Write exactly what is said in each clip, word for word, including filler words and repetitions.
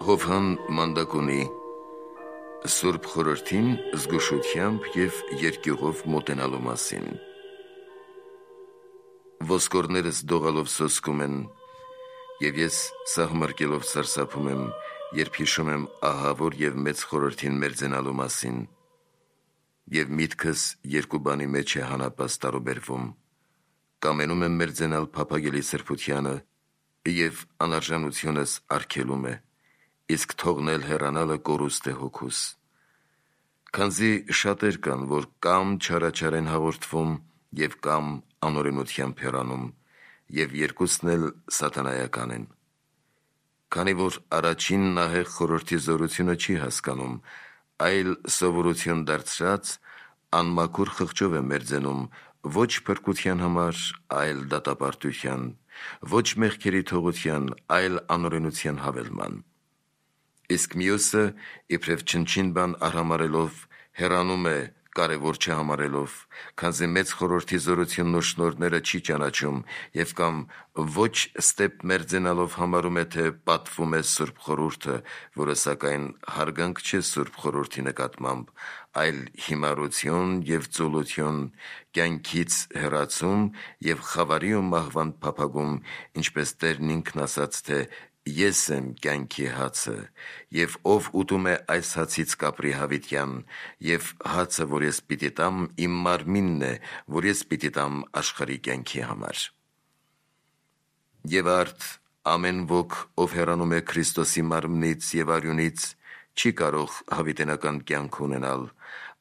Հովհան Մանդակոնի Սուրբ խորհրդին զգուշությամբ և երկյուղով մոտենալու մասին։ Ոսկորներս դողալով սոսկում են, և ես սահմռկելով սարսափում եմ, երբ հիշում եմ ահավոր և մեծ խորհրդին մերձենալու մասին, և միտքս երկու բանի մեջ է հանապազ տարուբերվում, կամենում եմ մերձենալ փափագելի սրբությանը, և անարժանությունս արգելում է, իսկ թողնել հեռանալը կորուստ է հոգուս։ Քանզի շատեր կան, որ կամ չարաչար են հաղորդվում և կամ անօրենությամբ հեռանում, և երկուսն էլ սատանայական են։ Քանի որ առաջին նահեղ խորհրդի զորությունը չի հասկանում, այլ սովորություն դարձրած, անմաքուր խղճով է մերձենում, ոչ փրկության համար, այլ դատապարտության, ոչ մեղքերի թողության, այլ անօրենության հավելման։ Իսկ մյուսը, իբրև չնչին բան արհամարհելով, հեռանում է կարևոր չհամարելով, քանզի մեծ խորհրդի զորությունն ու շնորհները չի ճանաչում և կամ ոչ ստեպ մերձենալով համարում է, թե պատվում է Սուրբ խորհուրդը, որը սակայն հարգանք չէ Սուրբ խորհրդի նկատմամբ, այլ հիմարություն և ծուլություն, կյանքից հեռացում և խավարի ու մահվան փափագում, ինչպես Տերն ինքն ասաց, թե «Ես եմ կյանքի հացը, և ով ուտում է այս հացից կապրի հավիտյան, և հացը, որ ես պիտի տամ, իմ մարմինն է, որ ես պիտի տամ աշխարհի կյանքի համար»։ Եվ արդ ամեն ոք, ով հեռանում է Քրիստոսի մարմնից և արյունից, չի կարող հավիտենական կյանք ունենալ։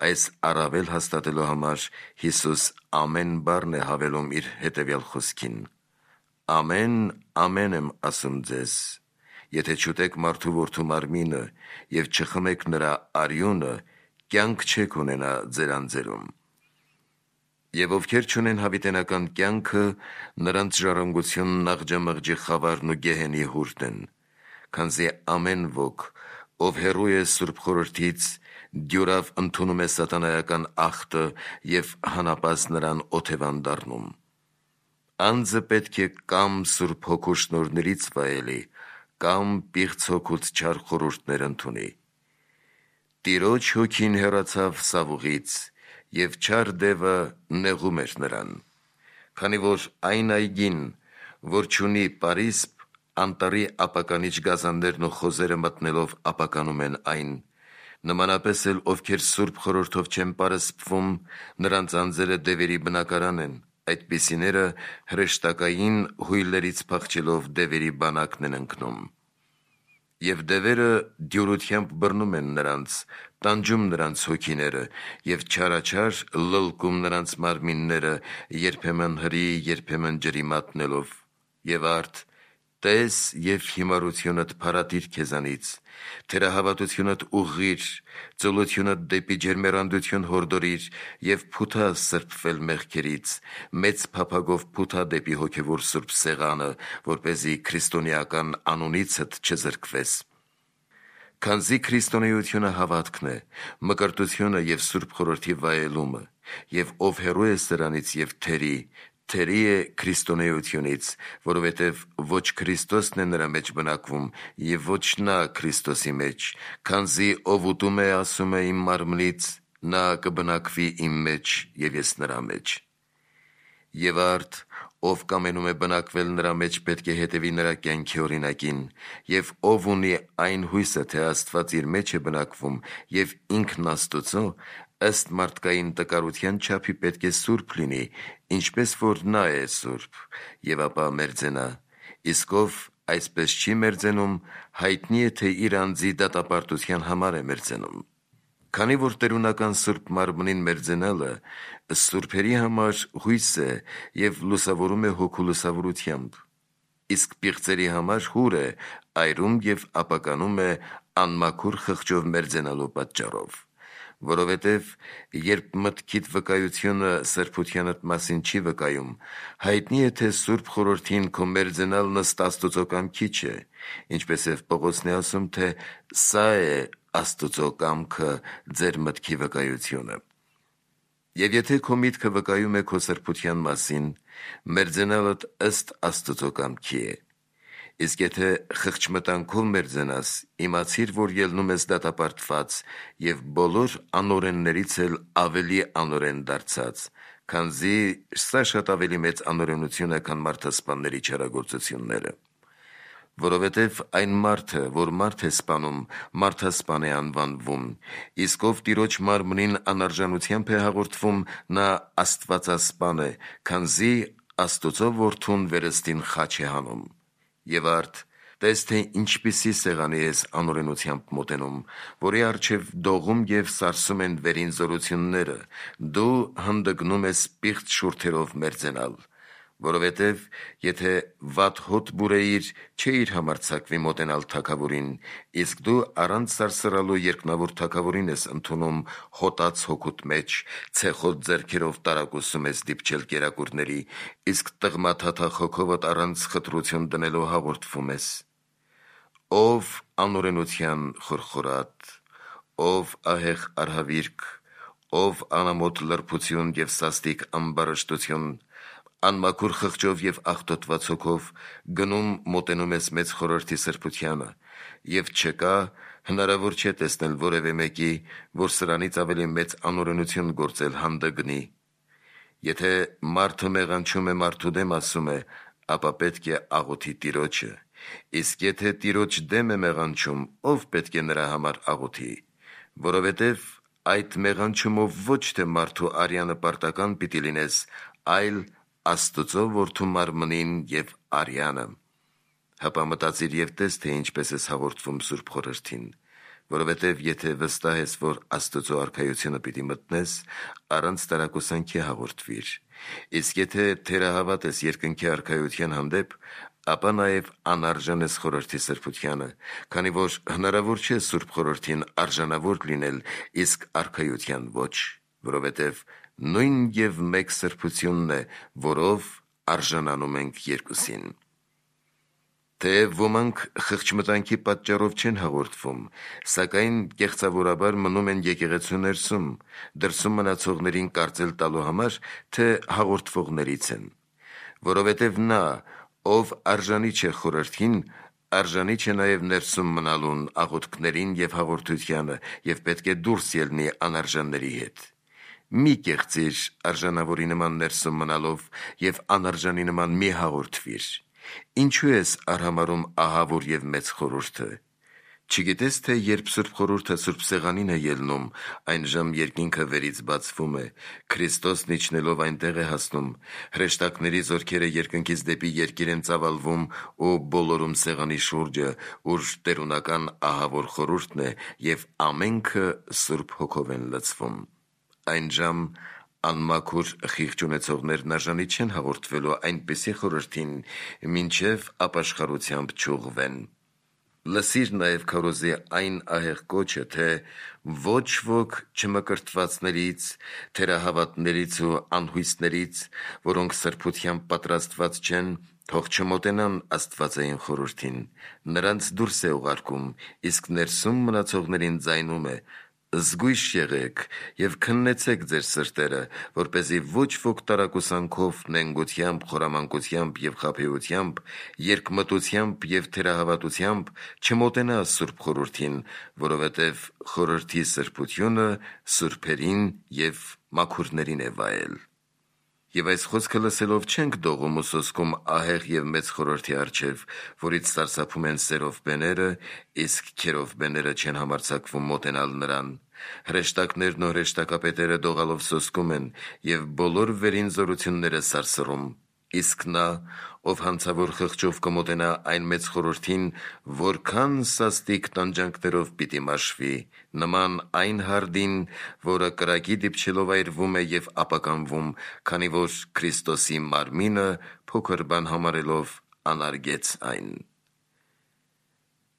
Այս առավել հաստատելու համար Հիսուս ամեն բառն է հավելում իր հետևյալ խոսքին. «Ամեն, ամեն եմ ասում ձեզ, եթե չուտեք մարդու որդու մարմինը և չխմեք նրա արյունը, կյանք չեք ունենա ձեր անձերում։ Եվ ովքեր չունեն հավիտենական կյանքը, նրանց ժառանգությունն աղջամղջի խավարն ու գեհենի հուրն են, քանզի ամեն ոք, ով հեռու է Սուրբ խորհրդից, դյուրավ ընդունում է սատանայական ախտը և հանապազ նրան օթևան դառնում։ Անձը պետք է կամ Սուրբ Հոգու շնորհներից վայելի, կամ պիղծ հոգուց չար խորհուրդներ ընդունի։ Տիրոջ Հոգին հեռացավ Սավուղից, և չար դևը նեղում էր նրան, քանի որ այն այգին, որ չունի պարիսպ, անտառի ապականիչ գազաններն ու խոզերը մտնելով ապականում են այն, նմանապես էլ ովքեր Սուրբ խորհրդով չեն պարսպվում, նրանց անձերը դևերի բնակարան են, այդպիսիները հրեշտակային հույլերից փախչելով դևերի բանակն են ընկնում։ Եվ դևերը դյուրությամբ բռնում են նրանց, տանջում նրանց հոգիները և չարաչար լլկում նրանց մարմինները, երբեմն հրի, երբեմն ջրի մատնելով։ Եվ արդ տես և հիմարությունդ փարատիր քեզանից, թերահավատությունդ ուղղիր, ծուլությունդ դեպի ջերմեռանդություն հորդորիր և փութա սրբվել մեղքերից, մեծ փափագով փութա դեպի հոգևոր սուրբ սեղանը, որպեսզի քրիստոնեական անունիցդ չզրկվես։ Քանզի քրիստոնեությունը հավատքն է, մկրտությունը և Սուրբ խորհրդի վայելումը, և ով հեռու է սրանից և թերի, թերի է քրիստոնեությունից, որովհետև ոչ Քրիստոսն է նրա մեջ բնակվում, և ոչ նա Քրիստոսի մեջ, քանզի ով ուտում է, ասում է իմ մարմնից, նա կբնակվի իմ մեջ, և ես նրա մեջ։ Եվ արդ ով կամենում է բնակվել նրա մեջ, պետք է հետևի նրա կյանքի օրինակին, և ով ունի այն հույսը, թե Աստված իր մեջ է բնակվում, և ինքն Աստծո, ըստ մարդկային տկարության չափի պետք է սուրբ լինի, ինչպես որ նա է սուրբ, և ապա մերձենա, իսկ ով այսպես չի մերձենում, հայտնի է, թե իր անձի դատապարտության համար է մերձենում։ Քանի որ տերունական Սուրբ մարմնին մերձենալը սուրբերի համար հույս է և լուսավորում է հոգու լուսավորությամբ, իսկ պիղծերի համար հուր է, այրում և ապականում է անմաքուր խղճով մերձենալու պատճառով։ Որովհետև երբ մտքիդ վկայությունը սրբությանդ մասին չի վկայում, հայտնի է, թե Սուրբ խորհրդին քո մերձենալն ըստ Աստուծո կամքի չէ, ինչպես և Պողոսն է ասում, թե սա է Աստուծո կամքը, ձեր մտքի վկայությունը։ Եվ եթե քո միտքը վկայում է քո սրբության մասին, մերձենալդ ըստ Աստուծո կամքի է։ Իսկ եթե խղճմտանքով մերձենաս, իմացիր, որ ելնում ես դատապարտված և բոլոր անօրեններից էլ ավելի անօրեն դարձած, քանզի սա շատ ավելի մեծ անօրենություն է, քան մարդասպանների չարագործությունները։ Որովհետև այն մարդը, որ մարդ է սպանում, մարդասպան է անվանվում, իսկ ով Տիրոջ մարմնին անարժանությամբ է հաղորդվում, նա աստվածասպան է, քանզի Աստծո որդուն վերստին խաչ է հանում։ Եվ արդ, տես թե ինչպիսի սեղանի ես անօրենությամբ մոտենում, որի առջև դողում և սարսում են վերին զորությունները, դու հանդգնում ես պիղծ շուրթերով մերձենալ։ Որովհետև եթե վատ հոտ բուրեիր, չէիր համարձակվի մոտենալ թագավորին, իսկ դու առանց սարսռալու երկնավոր թագավորին ես ընդունում հոտած հոգուտ մեջ, ցեխոտ ձեռքերով տարակուսում ես դիպչել կերակուրների, իսկ տղմաթաթախ հոգովդ առանց խտրություն դնելու հաղորդվում ես։ Ով անօրենության խորխորատ, ով ահեղ արհավիրք, ով անամոթ լրբություն և սաստիկ ամբարշտություն, անմաքուր խղճով և աղտոտված հոգով գնում մոտենում ես մեծ խորհրդի սրբությանը, և չկա, հնարավոր չէ տեսնել որևէ մեկի, որ սրանից ավելի մեծ անօրենություն գործել հանդգնի։ Եթե մարդը մեղանչում է մարդու դեմ ասում է, ապա պետք է աղոթի Տիրոջը, իսկ եթե Տիրոջ դեմ է մեղանչում, ով պետք է նրա համար աղոթի, որովհետև այդ մեղանչումով ոչ թե մարդու արյանը պարտական պիտի լինես, այլ Աստծո որդու մարմնին և արյանը։ Հապա մտածիր և տես, թե ինչպես ես հաղորդվում Սուրբ Խորհրդին, որովհետև եթե վստահ ես, որ Աստծո արքայությունը պիտի մտնես, առանց տարակուսանքի հաղորդվիր, իսկ եթե թերահավատ ես երկնքի արքայության հանդեպ, ապա նաև անարժան ես խորհրդի սրբությանը, քանի որ հնարավոր չէ Սուրբ Խորհրդին արժանավոր լինել, իսկ արքայության ոչ, որովհետև նույն և մեկ սրբությունն է, որով արժանանում ենք երկուսին։ Թեև ոմանք խղճմտանքի պատճառով չեն հաղորդվում, սակայն կեղծավորաբար մնում են եկեղեցու ներսում, դրսում մնացողներին կարծել տալու համար, թե հաղորդվողներից են, որովհետև նա, ով արժանի չէ խորհրդին, արժանի չէ նաև ներսում մնալուն աղոթքներին և հաղորդությանը և պետք է դուրս ելնի անարժանների հետ։ Մի կեղծիր արժանավորի նման ներսում մնալով և անարժանի նման մի հաղորդվիր։ Ինչու ես արհամարհում ահավոր և մեծ խորհուրդը։ Չգիտես, թե երբ Սուրբ Խորհուրդը Սուրբ Սեղանին է ելնում, այն ժամ երկինքը վերից բացվում է, Քրիստոսն իջնելով այնտեղ է հասնում, հրեշտակների զորքերը երկնքից դեպի երկիր են ծավալվում ու բոլորում սեղանի շուրջը, ուր տերունական ահավոր խորհուրդն է, և ամենքը Սուրբ Հոգով են լցվում։ Այն ժամ անմաքուր խիղճ ունեցողներն արժանի չեն հաղորդվելու այնպիսի խորհրդին, մինչև ապաշխարությամբ չուղղվեն։ Լսիր նաև քարոզի այն ահեղ կոչը, թե ոչ ոք չմկրտվածներից, թերահավատներից ու անհույսներից, որոնք սրբությամբ պատրաստված չեն, թող չմոտենան աստվածային խորհրդին, նրանց դուրս է ուղարկում, իսկ ներսում մնացողներին ձայնում է. «Զգույշ եղեք և քննեցեք ձեր սրտերը, որպեսզի ոչ ոք տարակուսանքով, նենգությամբ, խորամանկությամբ և խաբեությամբ, երկմտությամբ և թերահավատությամբ չմոտենա Սուրբ Խորհրդին, որովհետև խորհրդի սրբությունը սուրբերին և մաքուրներին է վայել»։ Եվ այս խոսքը լսելով չենք դողում ու սոսկում ահեղ և մեծ խորհրդի առջև, որից սարսափում են սերովբեները, իսկ քերովբեները չեն համարձակվում մոտենալ նրան։ Հրեշտակներն ու հրեշտակապետերը դողալով սոսկում են և բոլոր վերին զորությունները սարսռում, իսկ նա, ով հանցավոր խղճով կմոտենա այն մեծ խորհրդին, որքան սաստիկ տանջանքներով պիտի մաշվի, նման այն հարդին, որը կրակի դիպչելով այրվում է և ապականվում, քանի որ Քրիստոսի մարմինը փոքր բան համարելով անարգեց այն։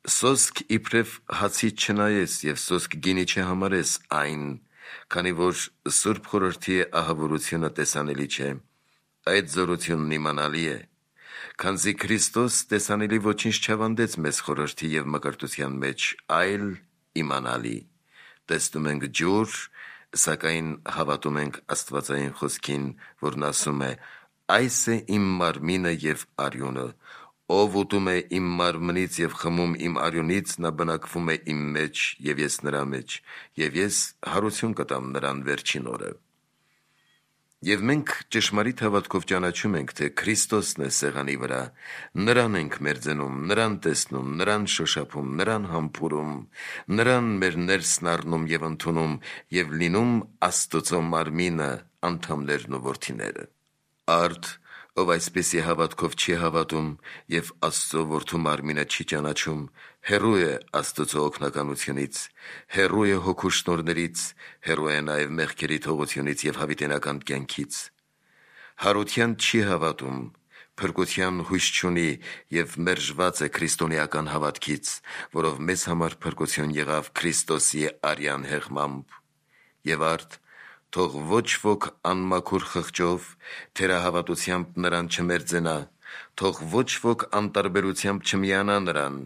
Սոսկ իբրև հացից չնայես և սոսկ գինի չհամարես այն, քանի որ Սուրբ Խորհրդի ահավորությունը տեսանելի չէ, այդ զորությունն իմանալի է, քանզի Քրիստոս տեսանելի ոչինչ չավանդեց մեզ խորհրդի և մկրտության մեջ, այլ իմանալի։ Տեսնում ենք ջուր, սակայն հավատում ենք աստվածային խոսքին, որն ասում է. «Այս է իմ մարմինը և արյունը, Ով ուտում է իմ մարմնից և խմում իմ արյունից, նա բնակվում է իմ մեջ և ես նրա մեջ, և ես հարություն կտամ նրան վերջին օրը։ Եվ մենք ճշմարիտ հավատքով ճանաչում ենք, թե Քրիստոսն է սեղանի վրա, նրան ենք մերձենում, նրան տեսնում, նրան շոշափում, նրան համբուրում, նրան մեր ներսն առնում և ընդունում և լինում Աստծո մարմինը, անդամներն ու որդիները։ Արդ, ով այսպիսի հավատքով չի հավատում և Աստծո որդու մարմինը չի ճանաչում, հեռու է Աստծո օգնականությունից, հեռու է հոգու շնորհներից, հեռու է նաև մեղքերի թողությունից և հավիտենական կյանքից։ Հարության չի հավատում, փրկության հույս չունի և մերժված է քրիստոնեական հավատքից, որով մեզ համար փրկություն եղավ Քրիստոսի արյան հեղմամբ։ Եվ արդ, թող ոչ ոք անմաքուր խղճով, թերահավատությամբ նրան չմերձենա, թող ոչ ոք անտարբերությամբ չմիանա նրան,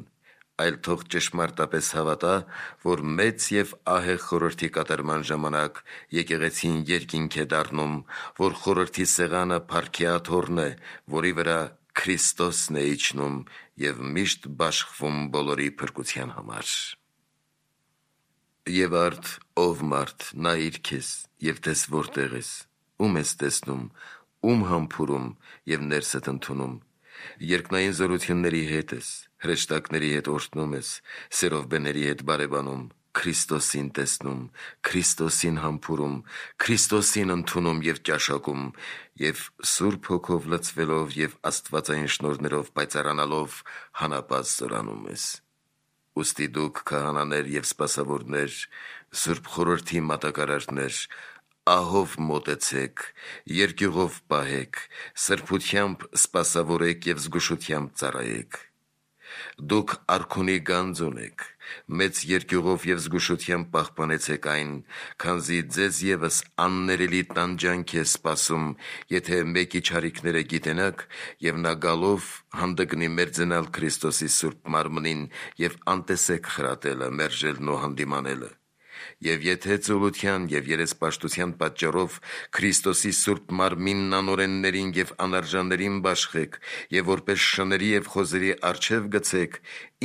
այլ թող ճշմարտապես հավատա, որ մեծ և ահեղ խորհրդի կատարման ժամանակ եկեղեցին երկինք է դառնում, որ խորհրդի սեղանը փառքի աթոռն է, որի վրա Քրիստոսն է իջնում և միշտ բաշխվում բոլորի փրկության համար։ Եվ արդ, ով մարդ, նայիր քեզ և տես որտեղ ես, ում ես տեսնում, ում համբուրում և ներսդ ընդունում։ Երկնային զորությունների հետ ես, հրեշտակների հետ օրհնում ես, սերովբեների հետ բարևանում, Քրիստոսին տեսնում, Քրիստոսին համբուրում, Քրիստոսին ընդունում և ճաշակում և Սուրբ Հոգով լցվելով և աստվածային շնորհներով պայծառանալով հանապազտ զորանում ես։ Ուստի դուք քահանաներ և սպասավորներ, Սուրբ Խորհրդի մատակարարներ, ահով մոտեցեք, երկյուղով պահեք, սրբությամբ սպասավորեք և զգուշությամբ ծառայեք։ Դուք արքունի գանձ ունեք, մեծ երկյուղով և զգուշությամբ պահպանեցեք այն, քանզի ձեզ ևս աններելի տանջանք է սպասում, եթե մեկի չարիքները գիտենաք, և նա գալով հանդգնի մերձենալ Քրիստոսի Սուրբ Մարմնին և անտեսեք խրատելը, մերժելն ու հանդիմանելը։ Եվ եթե ծուլության և երեսպաշտության պատճառով Քրիստոսի Սուրբ Մարմինն անօրեններին և անարժաններին բաշխեք և որպես շների և խոզերի առջև գցեք,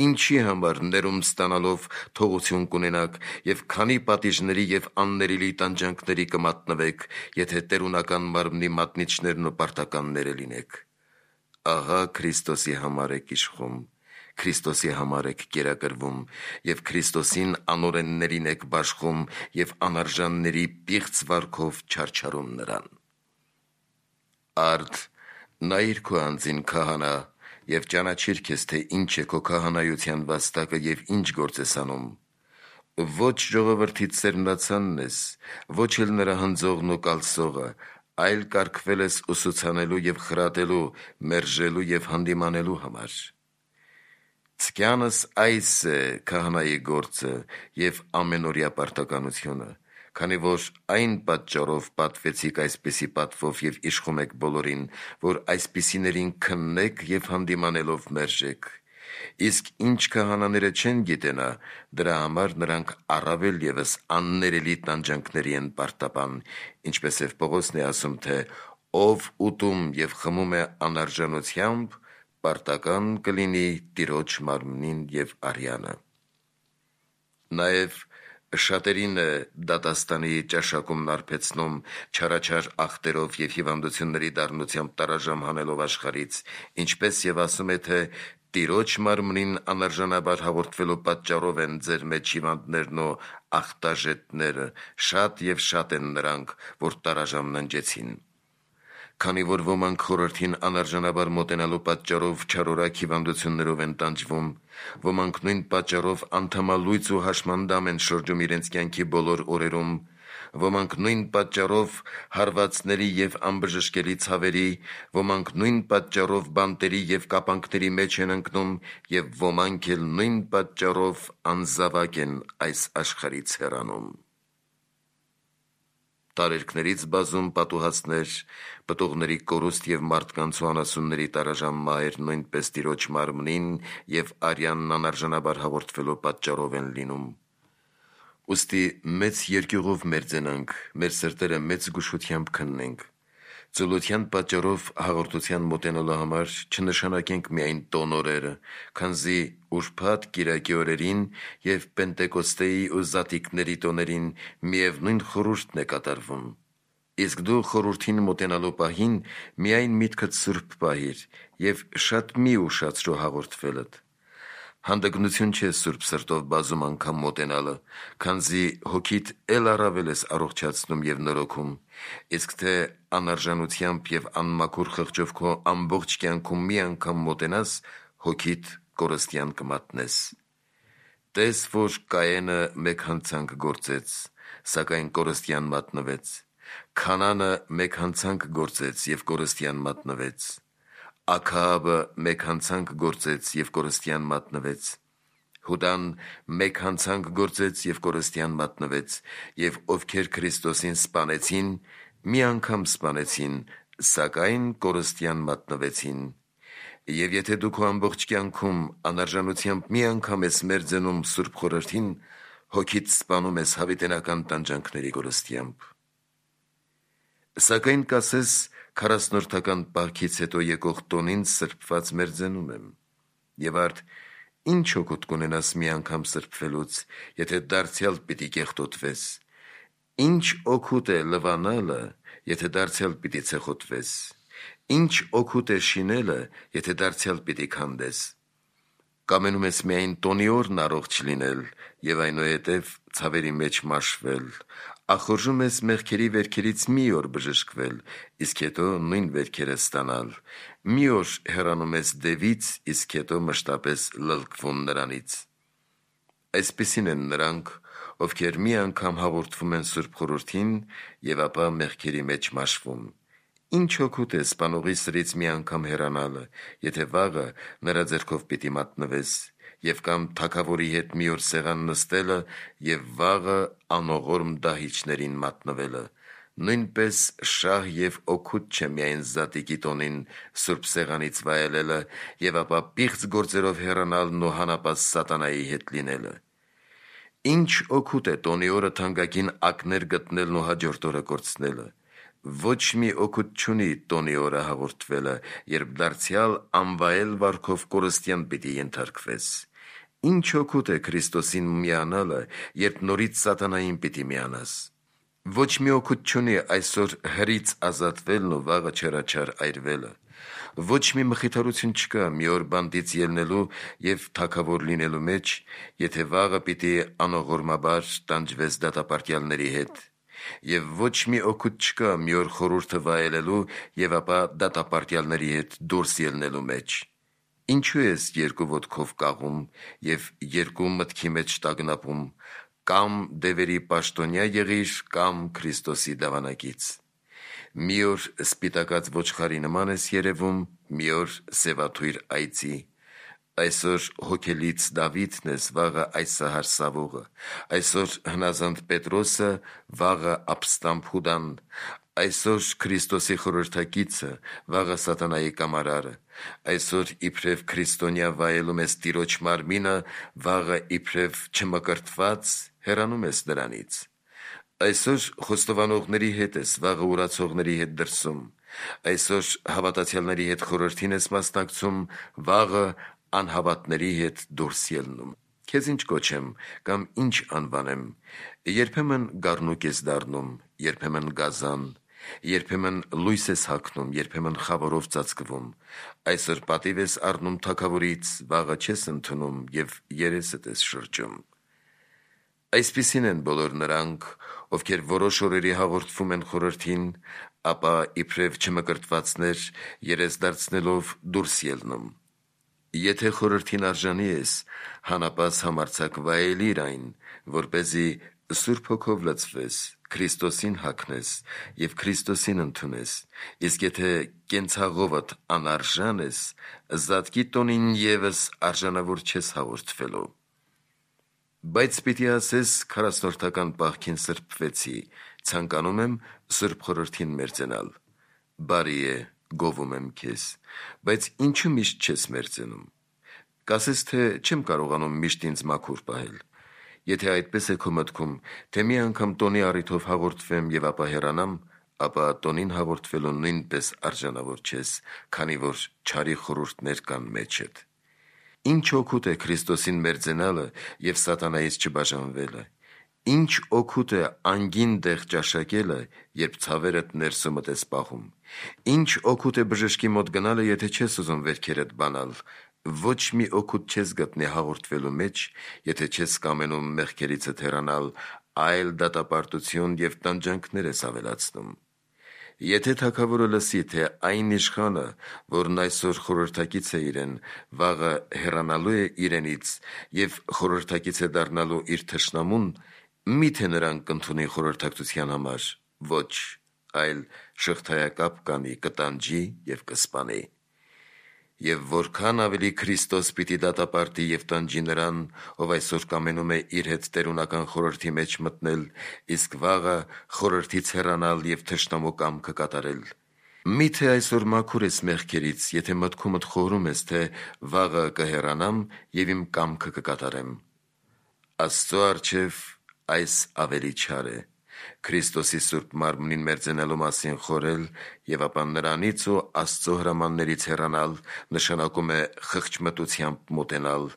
ինչի համար ներում ստանալով թողություն կունենաք և քանի պատիժների և աններելի տանջանքների կմատնվեք, եթե տերունական մարմնի մատնիչներն ու պարտականները լինեք։ Ահա Քրիստոսի համար եք իշխում, Քրիստոսի համար եք կերակրվում և Քրիստոսին անօրեններին եք բաշխում և անարժանների պիղծ վարքով չարչարում նրան։ Արդ, նայիր քո անձին քահանա և ճանաչիր քեզ, թե ինչ է քո քահանայության վաստակը և ինչ գործ ես անում։ Ոչ ժողովրդի սերմնացանն ես, ոչ էլ նրա հնձողն ու կալսողը, այլ կարգվել ես ուսուցանելու և խրատելու, մերժելու և հանդիմանելու համար։ Ցկյանս այս է քահանայի գործը և ամենօրյա պարտականությունը, քանի որ այն պատճառով պատվեցիք այսպիսի պատվով և իշխում եք բոլորին, որ այսպիսիներին քննեք և հանդիմանելով մերժեք։ Իսկ ինչ քահանաները չեն գիտենա, դրա համար նրանք առավել ևս աններելի տանջանքների են պարտապան, ինչպես և Պողոսն է ասում, թե «Ով ուտում և խմում է անարժանությամբ, պարտական կլինի Տիրոջ մարմնին և արյանը»։ Նաև շատերին է դատաստանի ճաշակումն արբեցնում չարաչար ախտերով և հիվանդությունների դառնությամբ տարաժամ հանելով աշխարհից, ինչպես և ասում է, թե Տիրոջ մարմնին անարժանաբար հաղորդվելու պատճառով են ձեր մեջ հիվանդներն ու ախտաժետները, շատ և շատ են նրանք, որ տարաժամ ննջեցին։ Քանի որ ոմանք խորհրդին անարժանաբար մոտենալու պատճառով չարորակ հիվանդություններով են տանջվում, ոմանք նույն պատճառով անդամալույծ ու հաշմանդամ են շրջում իրենց կյանքի բոլոր օրերում, ոմանք նույն պատճառով հարվածների և անբժշկելի ցավերի, ոմանք նույն պատճառով բանտերի և կապանքների մեջ են ընկնում և ոմանք էլ նույն պատճառով անզավակ են այս աշխարհից հեռանում։ Տարերքներից բազում պատուհասներ, պտուղների կորուստ և մարդկանց ու անասունների տարաժամ մահեր նույնպես Տիրոջ մարմնին և արյանն անարժանաբար հաղորդվելու պատճառով են լինում։ Ուստի մեծ երկյուղով մերձենանք, մեր սրտերը մեծ զգուշությամբ քննենք, Ծուլության պատճառով հաղորդության մոտենալու համար չնշանակենք միայն տոնորերը, քանզի ուրբաթ կիրակի օրերին և Պենտեկոստեի ու Զատիկների տոներին միևնույն խորհուրդն է կատարվում։ Իսկ դու խորհրդին մոտենալու պահին միայն միտքդ սուրբ պահիր և շատ մի ուշացրու հաղորդվելդ։ Հանդգնություն չէ սուրբ սրտով բազում անգամ մոտենալը, քանզի հոգիդ էլ առավել ես առողջացնում և նորոգում, իսկ թե անարժանությամբ և անմաքուր խղճով քո ամբողջ կյանքում մի անգամ մոտենաս, հոգիդ կորստյան կմատնես։ Տես, որ Կայենը մեկ հանցանք գործեց, սակայն կորստյան մատնվեց, Քանանը մեկ հանցանք գործեց և կորստյան մատնվեց, Աքահաբը մեկ հանցանք գործեց և կորստյան մատնվեց, Հուդան մեկ հանցանք գործեց և կորստյան մատնվեց, և ովքեր Քրիստոսին սպանեցին, մի անգամ սպանեցին, սակայն կորստյան մատնվեցին։ Եվ եթե դու քո ամբողջ կյանքում անարժանությամբ մի անգամ ես մերձենում սուրբ խորհրդին, հոգիդ սպանում ես հավիտենական տանջանքների կորստյամբ։ Սակայն կասես, քառասնորդական պահքից հետո եկող տոնին սրբված մերձենում եմ։ Եվ արդ ի՞նչ օգուտ կունենաս մի անգամ սրբվելուց, եթե դարձյալ պիտի կեղտոտվես։ Ի՞նչ օգուտ է լվանալը, եթե դարձյալ պիտի ցեխոտվես։ Ի՞նչ օգուտ է շինելը, եթե դարձյալ պիտի քանդես։ Կամենում ես միայն տոնի օրն առողջ լինել և այնուհետև ցավերի մեջ մաշվել, ախորժում ես մեղքերի վերքերից մի օր բժշկվել, իսկ հետո նույն վերքերը ստանալ, մի օր հեռանում ես դևից, իսկ հետո մշտապես լլկվում նրանից։ Այսպիսին են նրանք, ովքեր մի անգամ հաղորդվում են սուրբ խորհրդին և ապա մեղքերի մեջ մաշվում։ Ինչ օգուտ է սպանողի սրից մի անգամ հեռանալը, եթե վաղը նրա ձեռքով պիտի մատնվես, և կամ թագավորի հետ մի օր սեղան նստելը և վաղը անողորմ դահիճներին մատնվելը։ Նույնպես շահ և օգուտ չէ միայն Զատիկի տոնին սուրբ սեղանից վայելելը և ապա պիղծ գործերով հեռանալն ու հանապած սատանայի հետ լինելը։ Ինչ օգուտ է տոնի օրը թանկագին ակներ գտնելն ու հաջորդ օրը կորցնելը։ Ոչ մի օգուտ չունի տոնի օրը հաղորդվելը, երբ դարձյալ անվայել վարքով կորստյան պիտի ենթարկվես։ Ինչ օգուտ է Քրիստոսին միանալը, երբ նորից սատանային պիտի միանաս։ Ոչ մի օգուտ չունի այսօր հրից ազատվելն ու վաղը չեռաչար այրվելը։ Ոչ մի մխիթարություն չկա մի օր բանտից ելնելու և թագավոր լինելու մեջ, եթե վաղը պիտի անողորմաբար տանջվես դատապարտյալների հետ։ Եվ ոչ մի օգուտ չկա մի օր խորհուրդը վայելելու և ապա դատապարտյալների հետ դուրս ելնելու մեջ։ Ինչու ես երկու ոտքով կաղում և երկու մտքի մեջ տագնապում, կամ դևերի պաշտոնյա եղիր, կամ Քրիստոսի դավանակից։ Մի օր սպիտակած ոչխարի նման ես երևում, մի օր սևաթույր այծի։ Այսօր հոգելից Դավիթն ես, վաղը այսահար Սավողը, այսօր հնազանդ Պետրոսը, վաղը ապստամբ Հուդան, այսօր Քրիստոսի խորհրդակիցը, վաղը սատանայի կամարարը, այսօր իբրև քրիստոնյա վայելում ես Տիրոջ մարմինը, վաղը իբրև չմկրտված հեռանում ես դրանից։ Այսօր խոստովանողների հետ ես, վաղը ուրացողների հետ դրսում, այսօր հավատացյալների հետ խորհրդին ես մասնակցում, վաղը անհավատների հետ դուրս ելնում։ Քեզ ինչ կոչեմ կամ ինչ անվանեմ։ Երբեմն գառնուկ ես դառնում, երբեմն գազան, երբեմն լույս ես հագնում, երբեմն խավարով ծածկվում, այսօր պատիվ ես առնում թագավորից, վաղը չես ընդունում և երեսդ ես շրջում։ Այսպիսին են բոլոր նրանք, ովքեր որոշ օրերի հաղորդվում են խորհրդին, ապա իբրև չմկրտվածներ երես դարձնելով դուրս ելնում։ Եթե խորհրդին արժանի ես, հանապած համարձակ վայելիր այն, որպեսզի Սուրբ Հոգով լցվես, Քրիստոսին հագնես և Քրիստոսին ընդունես, իսկ եթե կենցաղովդ անարժան ես, Զատկի տոնին ևս արժանավոր չես հաղորդվելու։ Բայց պիտի ասես քառասնորդական պահքին սրբվեցի, ցանկանում եմ սուրբ խորհրդին մերձենալ։ Բարի է, գովում եմ քեզ, բայց ինչու միշտ չես մերձենում։ Կասես, թե չեմ կարողանում միշտ ինձ մաքուր պահել։ Եթե այդպես է քո մտքում, թե մի անգամ տոնի առիթով հաղորդվեմ և ապա հեռանամ, ապա տոնին հաղորդվելու նույնպես արժանավոր չես, քանի որ չարի խորհուրդներ կան մեջդ։ Ինչ օգուտ է Քրիստոսին մերձենալը և սատանայից չբաժանվելը։ Ինչ օգուտ է անգին տեղ ճաշակելը, երբ ցավերդ ներսումդ ես պահում։ Ինչ օգուտ է բժշկի մոտ գնալը, եթե չես ուզում վերքերդ բանալ։ Ոչ մի օգուտ չես գտնի հաղորդվելու մեջ, եթե չես կամենում մեղքերիցդ հեռանալ, այլ դատապարտություն և տանջանքներ ես ավելացնում։ Եթե թագավորը լսի, թե այն իշխանը, որն այսօր խորհրդակից է իրեն, վաղը հեռանալու է իրենից և խորհրդակից է դառնալու իր թշնամուն, մի՞թե նրան կընդունի խորհրդակցության համար։ Ոչ, այլ շղթայակապ կանի, կտանջի և կսպանի։ Եվ որքան ավելի Քրիստոս պիտի դատապարտի և տանջի նրան, ով այսօր կամենում է իր հետ տերունական խորհրդի մեջ մտնել, իսկ վաղը խորհրդից հեռանալ և թշնամու կամքը կատարել։ Մի՞թե այսօր մաքուր ես մեղքերից, եթե մտքումդ խորհում ես, թե վաղը կհեռանամ և իմ կամքը կկատարեմ։ Աստծո առջև այս ավելի չար է։ Քրիստոսի սուրբ մարմնին մերձենալու մասին խորհել և ապա նրանից ու Աստծո հրամաններից հեռանալ նշանակում է խղճմտությամբ մոտենալ,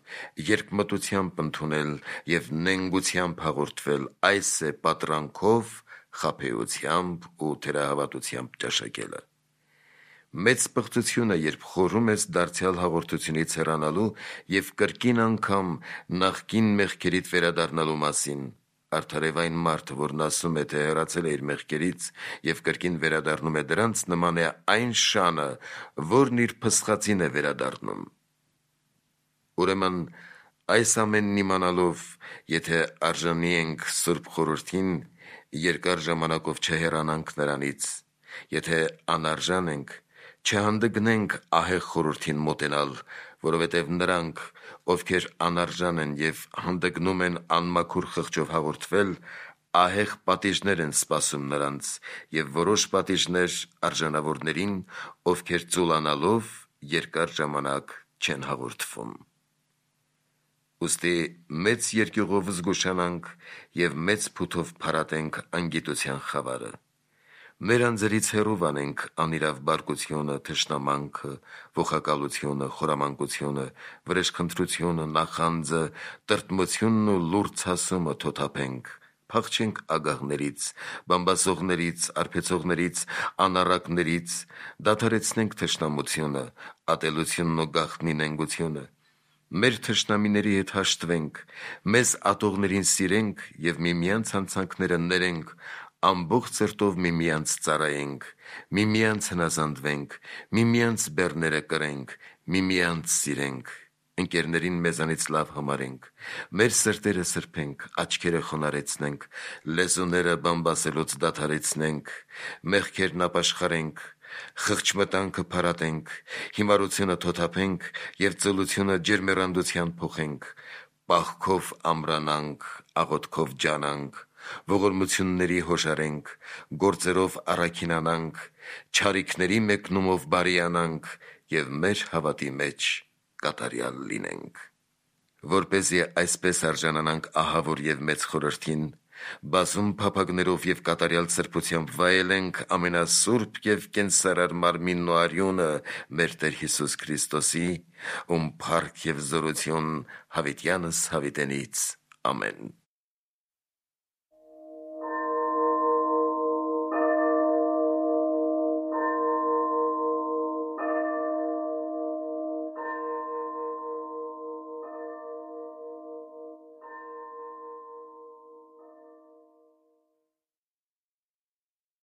երկմտությամբ ընդունել և նենգությամբ հաղորդվել, այս է պատրանքով, խաբեությամբ ու թերահավատությամբ ճաշակելը։ Մեծ պղծություն է, երբ խորհում ես դարձյալ հաղորդությունից հեռանալու և կրկին անգամ նախկին մեղքերիդ վերադառնալու մասին։ Արդար և այն մարդը, որն ասում է, թե հեռացել է իր մեղքերից և կրկին վերադառնում է դրանց, նման է այն շանը, որն իր փսխածին է վերադառնում։ Ուրեմն այս ամենն իմանալով, եթե արժանի ենք սուրբ խորհրդին, երկար ժամանակով չհեռանանք նրանից, եթե անարժան ենք, չհանդգնենք ահեղ խորհրդին մոտենալ, որովհետև նրանք, ովքեր անարժան են և հանդգնում են անմաքուր խղճով հաղորդվել, ահեղ պատիժներ են սպասում նրանց և որոշ պատիժներ արժանավորներին, ովքեր ծուլանալով երկար ժամանակ չեն հաղորդվում։ Ուստի մեծ երկյուղով զգուշանանք և մեծ փութով փարատենք անգիտության խավարը։ Մեր անձերից հեռու անենք անիրավ բարկությունը, թշնամանքը, ոխակալությունը, խորամանկությունը, վրեժխնդրությունը, նախանձը, տրտմությունն ու լուրջ ցասումը թոթափենք, փախչենք ագահներից, բամբասողներից, արբեցողներից, անառակներից, դադարեցնենք թշնամությունը, ատելությունն ու գաղտնի նենգությունը։ Մեր թշնամիների հետ հաշտվենք, մեզ ատողներին սիրենք և միմյանց հանցանքները ներենք, ամբողջ սրտով միմյանց ծառայենք, միմյանց հնազանդվենք, միմյանց բեռները կրենք, միմյանց սիրենք, ընկերներին մեզանից լավ համարենք, մեր սրտերը սրբենք, աչքերը խոնարհեցնենք, լեզուները բամբասելուց դադարեցնենք, մեղքերն ապաշխարենք, խղճմտանքը փարատենք, հիմարությունը թոթափենք և ծուլությունը ջերմեռանդության փոխենք, պահքով ամրանանք, աղոթքով ջանանք, ողորմությունների հոժարենք, գործերով առաքինանանք, չարիքների մեկնումով բարիանանք և մեր հավատի մեջ կատարյալ լինենք։ Որպեսզի այսպես արժանանանք ահավոր և մեծ խորհրդին, բազում փափագներով և կատարյալ սրբությամբ վայելենք ամենասուրբ և կենսարար մարմինն ու արյունը մեր Տեր Հիսուս Քրիստոսի, ում փառք և զորություն հավիտյանս հավիտենից։ Ամեն։